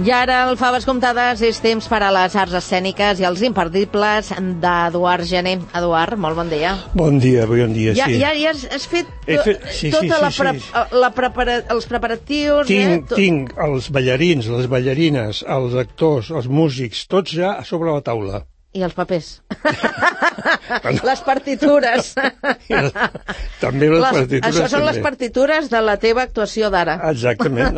I ara, al Faves Comptades, és temps per a les arts escèniques i els imperdibles d'Eduard Gené. Eduard, molt bon dia. Bon dia, sí. Ja has fet els preparatius... Tinc els ballarins, les ballarines, els actors, els músics, tots ja a sobre la taula. I els papers. Les partitures. També les partitures. Això són les partitures de la teva actuació d'ara. Exactament.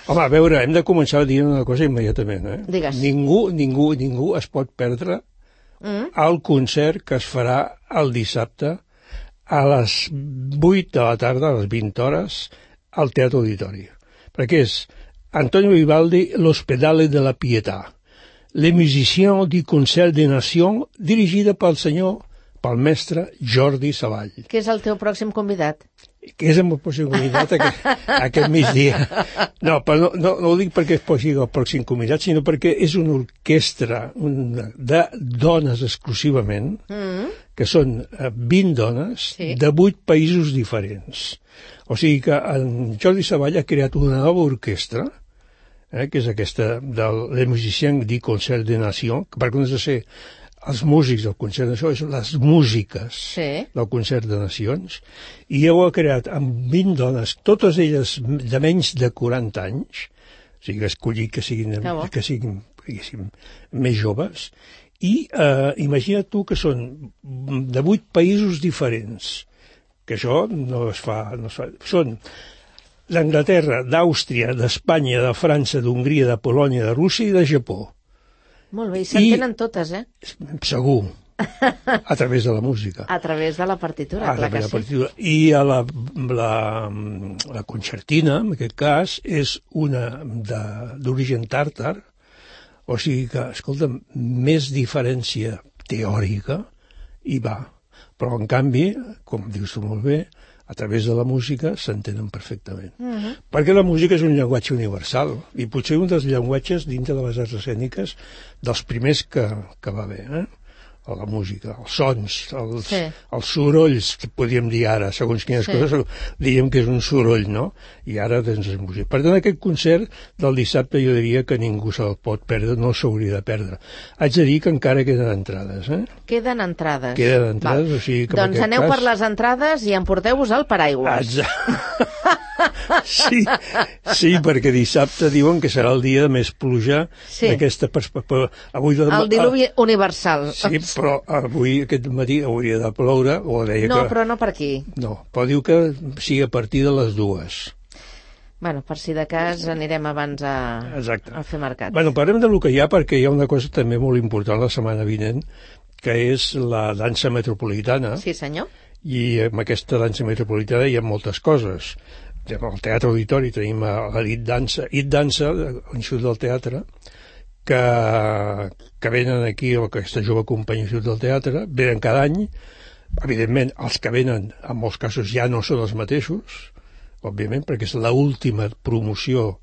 Home, a veure, hem de començar a dir una cosa immediatament. Digues. Ningú es pot perdre el concert que es farà el dissabte a les 8 de la tarda, a les 20 hores, al Teatre Auditori. Perquè és Antonio Vivaldi, L'Ospedale de la Pietà. Les musiciens du Concert des Nations, dirigida pel mestre Jordi Savall. Que és el teu pròxim convidat? Que és el meu pròxim convidat aquest migdia. No, però no ho dic perquè es posi el pròxim convidat, sinó perquè és una orquestra de dones exclusivament, que són 20 dones de 8 països diferents. O sigui que en Jordi Savall ha creat una nova orquestra, que és aquesta de Les Musiciens du Concert des Nations, que per comptes de ser els músics del Concert de Nacions, són les músiques del Concert de Nacions, i ell ha creat amb 20 dones, totes elles de menys de 40 anys, o sigui que escollit que siguin més joves, i imagina't tu que són de 8 països diferents, que això no es fa. Són d'Anglaterra, d'Àustria, d'Espanya, de França, d'Hongria, de Polònia, de Rússia i de Japó. Molt bé, i s'entenen totes, Segur, a través de la música. A través de la partitura, clar que sí. I la concertina, en aquest cas, és una d'origen tàrtar, o sigui que, escolta'm, més diferència teòrica hi va. Però, en canvi, com dius tu molt bé, a través de la música s'entenen perfectament. Perquè la música és un llenguatge universal i potser un dels llenguatges dintre de les arts escèniques dels primers que va haver, la música, els sons, els sorolls, podríem dir ara, segons quines coses, diríem que és un soroll, no? I ara doncs és música. Per tant, aquest concert del dissabte jo diria que ningú se'l pot perdre, no s'hauria de perdre. Haig de dir que encara queden entrades, Queden entrades. O sigui que doncs aneu per les entrades i emporteu-vos el paraigües. Sí, perquè dissabte diuen que serà el dia de més pluja d'aquesta perspectiva. El diluvi universal. Sí, però avui, aquest matí, hauria de ploure. Però no per aquí. No, però diu que sigui a partir de les 2. Bueno, per si de cas anirem abans a fer mercat. Bueno, parlem del que hi ha, perquè hi ha una cosa també molt important la setmana vinent, que és la dansa metropolitana. Sí, senyor. I amb aquesta dansa metropolitana hi ha moltes coses. Al Teatre Auditori tenim l'It Dansa, l'Institut del Teatre, que venen aquí, aquesta jove companyia Institut del Teatre, venen cada any. Evidentment, els que venen, en molts casos, ja no són els mateixos, òbviament, perquè és l'última promoció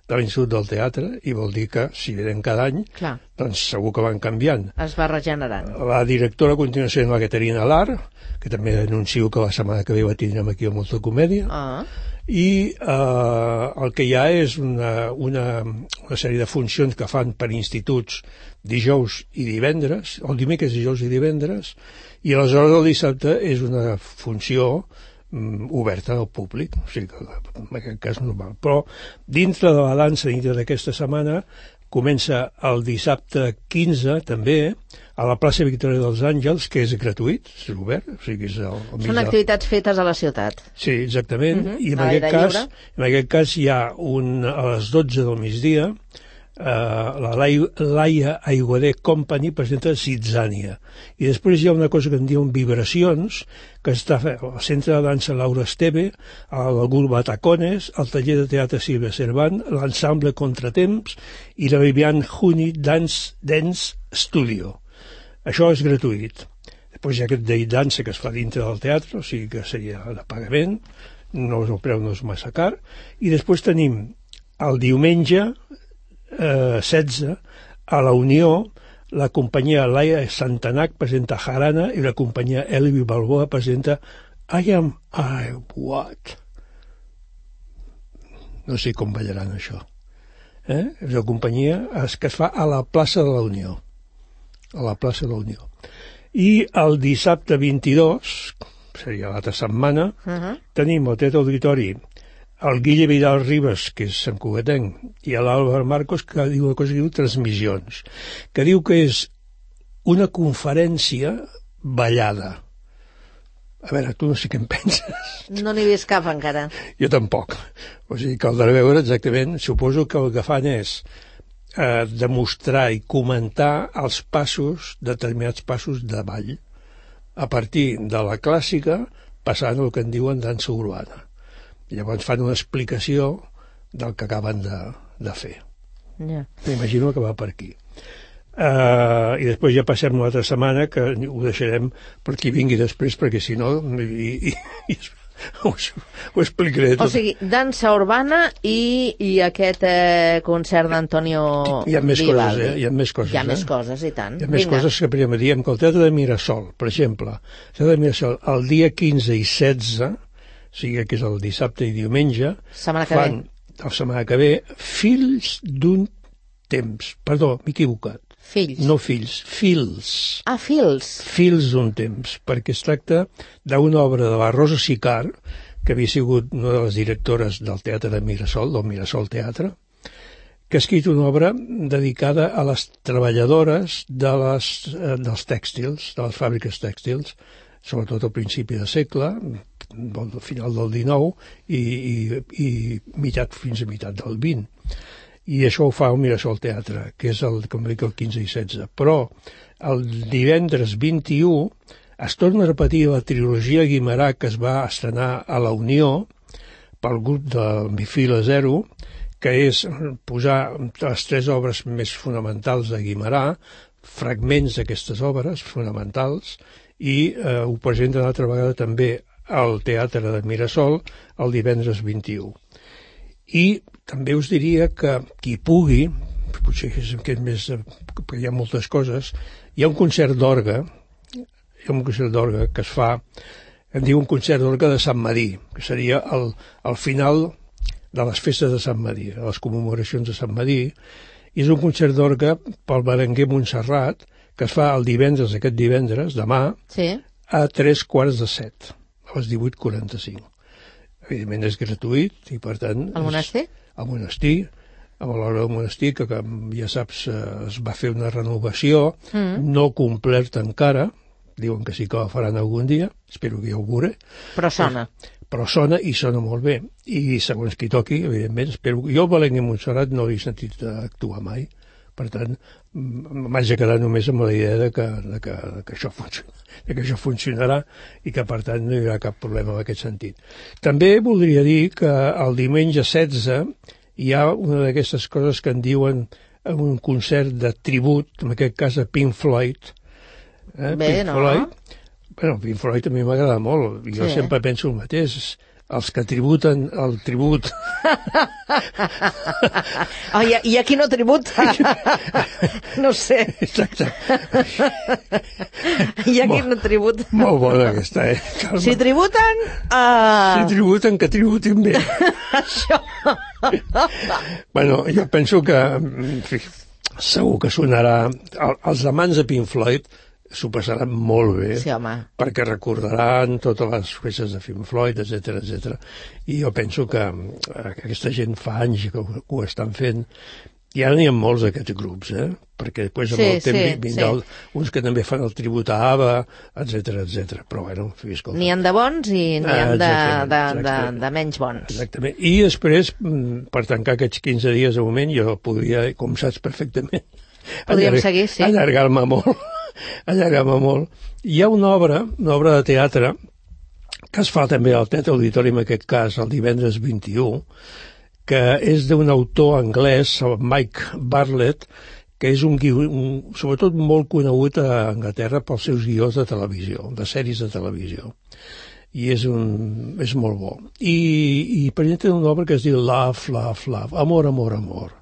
de l'Institut del Teatre, i vol dir que, si venen cada any, doncs segur que van canviant. Es va regenerant. La directora a continuació és la Caterina Lar, que també anuncio que la setmana que ve la tindrem aquí a Molta Comèdia, i el que hi ha és una sèrie de funcions que fan per instituts dijous i divendres, el dimecres, dijous i divendres, i aleshores el dissabte és una funció oberta al públic, o sigui que en aquest cas normal. Però dintre de la dansa, dintre d'aquesta setmana, comença el dissabte 15 també a la plaça Victòria dels Àngels, que és gratuït, és obert, o sigui que és són activitats fetes a la ciutat. Sí, exactament, i en aquest cas hi ha a les 12 del migdia la Laia Aiguader Company presenta Zitzània, i després hi ha una cosa que en diuen Vibracions, que està al Centre de Dansa Laura Esteve, al grup Batacones, al taller de teatre Silvia Cervant, l'ensemble Contratemps i la Vivian Juni Dance Studio. Això és gratuït. Després hi ha aquest d'It Dansa que es fa dintre del teatre, o sigui que seria de pagament, el preu no és massa car, i després tenim el diumenge 16 a la Unió, la companyia Laia Santanac presenta Jarana i la companyia Elvi Balboa presenta I What. No sé com ballaran això. És una companyia que es fa a la plaça de la Unió. A la plaça de la Unió. I el dissabte 22, seria l'altra setmana, tenim al Teatre Auditori el Guille Vidal Ribas, que és santcugatenc, i l'Àlvar Marcos, que diu una cosa que diu transmissions, que diu que és una conferència ballada. A veure, tu no sé què en penses. No n'hi he vist cap encara. Jo tampoc. O sigui, caldrà veure exactament. Suposo que el que fan és demostrar i comentar els passos, determinats passos de ball, a partir de la clàssica, passant el que en diuen dansa urbana. Llavors fan una explicació del que acaben de fer. Yeah. M'imagino que va per aquí. I després ja passem una altra setmana, que ho deixarem per qui vingui després, perquè si no ho explicaré tot. O sigui, dansa urbana i aquest concert d'Antonio Vivaldi. Hi ha més coses, Hi ha més coses, Hi ha més coses, i tant. Hi ha més coses que primer diem que el Teatre de Mirasol, per exemple, el Teatre de Mirasol, el dia 15 i 16, o sigui que és el dissabte i diumenge, fan, la setmana que ve, Fills d'un temps. Perdó, m'he equivocat. Fills. No fills, fils. Ah, fils. Fils d'un temps, perquè es tracta d'una obra de la Rosa Sicart, que havia sigut una de les directores del Teatre de Mirasol, del Mirasol Teatre, que ha escrit una obra dedicada a les treballadores dels tèxtils, de les fàbriques tèxtils, sobretot al principi de segle, al final del XIX i fins a meitat del XX. I això ho fa el Mirasol Teatre, que és com dic, el 15 i 16. Però el divendres 21 es torna a repetir la trilogia Guimerà que es va estrenar a la Unió pel grup de Mifila Zero, que és posar les 3 obres més fonamentals de Guimerà, fragments d'aquestes obres fonamentals, i ho presenta una altra vegada també al Teatre de Mirasol el divendres 21. I també us diria que qui pugui, potser és més, perquè hi ha moltes coses, hi ha un concert d'orgue, que es fa, em diu un concert d'orgue de Sant Madí, que seria el final de les festes de Sant Madí, de les commemoracions de Sant Madí, i és un concert d'orgue pel Berenguer Montserrat, que es fa el divendres, aquest divendres, demà, sí, a 3:45, a les 18:45. Evidentment és gratuït i, per tant... Al monestir? Al monestir, a l'hora del monestir, que ja saps, es va fer una renovació, no completa encara, diuen que sí que la faran algun dia, espero que ja ho veuré. Però sona. Però sona i sona molt bé. I segons qui toqui, evidentment, espero... Jo el Belenguer Montserrat no l'he sentit actuar mai, per tant, m'haig de quedar només amb la idea que això funcionarà i que, per tant, no hi haurà cap problema en aquest sentit. També voldria dir que el diumenge 16 hi ha una d'aquestes coses que en diuen un concert de tribut, en aquest cas a Pink Floyd. Bé, Pink no? Floyd. Bueno, Pink Floyd a mi m'agrada molt. Jo sempre penso el mateix. Els que tributen el tribut... I aquí no tributa. No sé. Exacte. I aquí no tributa. Molt bona aquesta, Carme? Si tributen... Si tributen, que tributin bé. Això. Bueno, jo penso que, en fi, segur que sonarà... Els amants de Pink Floyd s'ho passaran molt bé, sí, home, perquè recordaran totes les festes de Pink Floyd, etc. I jo penso que aquesta gent fa anys que ho estan fent, i ara n'hi ha molts d'aquests grups, perquè després amb el temps vindran uns que també fan el tribut a ABBA, etc. Però bueno, en fi, escolta. N'hi ha de bons i n'hi ha de menys bons. Exactament. I després, per tancar aquests 15 dies de moment, jo podria, com saps perfectament, seguir, sí. allargar-me molt. Hi ha una obra de teatre que es fa també al Teatre Auditori, en aquest cas el divendres 21, que és d'un autor anglès, el Mike Bartlett, que és un sobretot molt conegut a Anglaterra pels seus guions de televisió, de sèries de televisió. I és molt bo. I presenta una obra que es diu Love, Love, Love, Amor, Amor, Amor.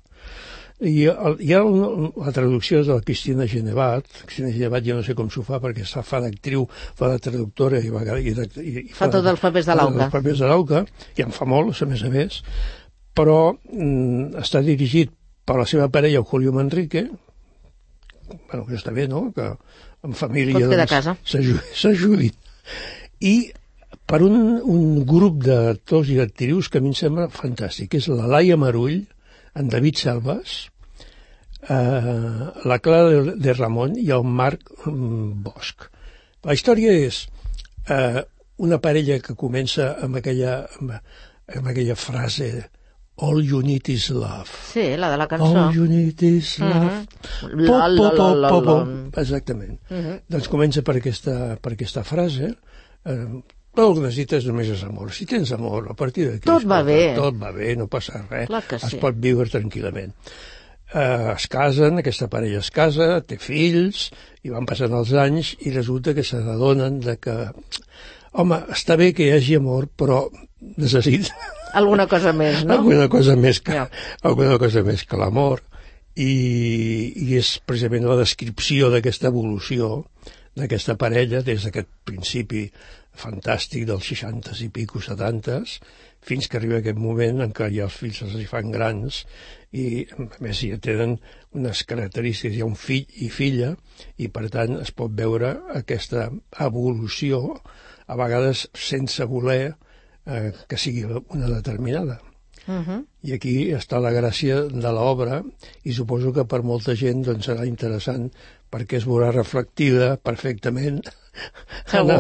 I hi ha la traducció de la Cristina Genevat. Cristina Genevat jo no sé com s'ho fa, perquè fa d'actriu, fa de traductora i fa tots els papers de l'auca. Els papers de l'auca, i en fa molts, a més, però està dirigit per la seva parella, Julio Manrique, bueno, que està bé, no?, que en família pot quedar a casa. S'ajudin. I per un grup d'actors i d'actrius que a mi em sembla fantàstic, que és la Laia Marull, en David Selvas, la Clara de Ramon i el Marc Bosch. La història és una parella que comença amb aquella frase All you need is love. Sí, la de la cançó. All you need is love. Exactament. Doncs comença per aquesta frase. Tot el que necessites només és amor. Si tens amor, a partir d'aquí... Tot va bé. Tot va bé, no passa res. Clar que sí. Es pot viure tranquil·lament. Es casen, aquesta parella es casa, té fills, i van passant els anys, i resulta que se n'adonen que... Home, està bé que hi hagi amor, però necessita... Alguna cosa més, no? Alguna cosa més que l'amor. I és precisament la descripció d'aquesta evolució d'aquesta parella des d'aquest principi fantàstic dels 60s i pico 70s fins que arriba aquest moment en què ja els fills els fan grans i a més ja tenen unes característiques, hi ha un fill i filla i per tant es pot veure aquesta evolució a vegades sense voler que sigui una determinada. I aquí està la gràcia de l'obra i suposo que per molta gent doncs, serà interessant perquè es veurà reflectida perfectament en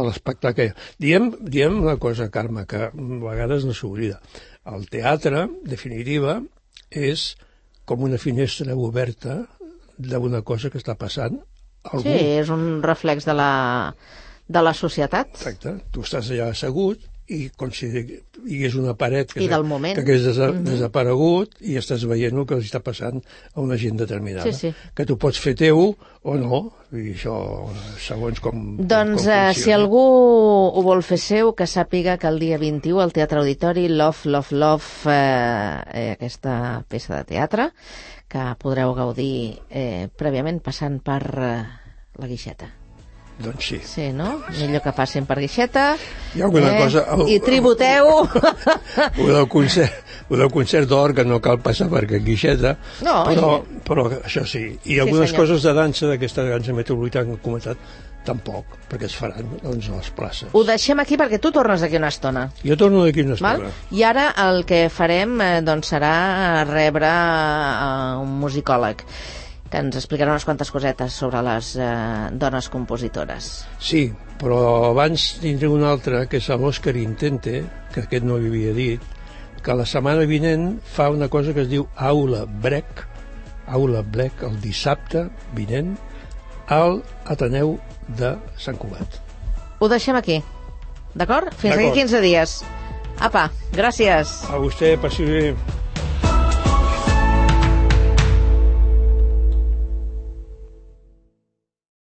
l'espectacle. Diem una cosa, Carme, que a vegades no s'oblida. El teatre, en definitiva, és com una finestra oberta d'una cosa que està passant a algú. Sí, és un reflex de la societat. Exacte. Tu estàs allà assegut i com si hi hagués una paret que hagués desaparegut i estàs veient el que els està passant a una gent determinada. Sí. Que tu pots fer teu o no, i això segons com... Doncs si algú ho vol fer seu, que sàpiga que el dia 21 al Teatre Auditori Love, aquesta peça de teatre, que podreu gaudir prèviament passant per la Guixeta. Doncs sí. Sí, no? Millor que passin per Guixeta. Hi ha alguna cosa... I tributeu. Ho del concert d'or, que no cal passar per Guixeta, però això sí. I algunes coses de dansa, d'aquesta dansa metropolitana que he comentat, tampoc, perquè es faran a les places. Ho deixem aquí perquè tu tornes d'aquí una estona. Jo torno d'aquí una estona. I ara el que farem serà rebre un musicòleg que ens explicarà unes quantes cosetes sobre les dones compositores. Sí, però abans tindré un altre, que és l'Òscar Intente, que aquest no ho havia dit, que la setmana vinent fa una cosa que es diu Aula Break, el dissabte vinent, al Ateneu de Sant Cugat. Ho deixem aquí, d'acord? Fins aquí 15 dies. Apa, gràcies. A vostè, passi bé.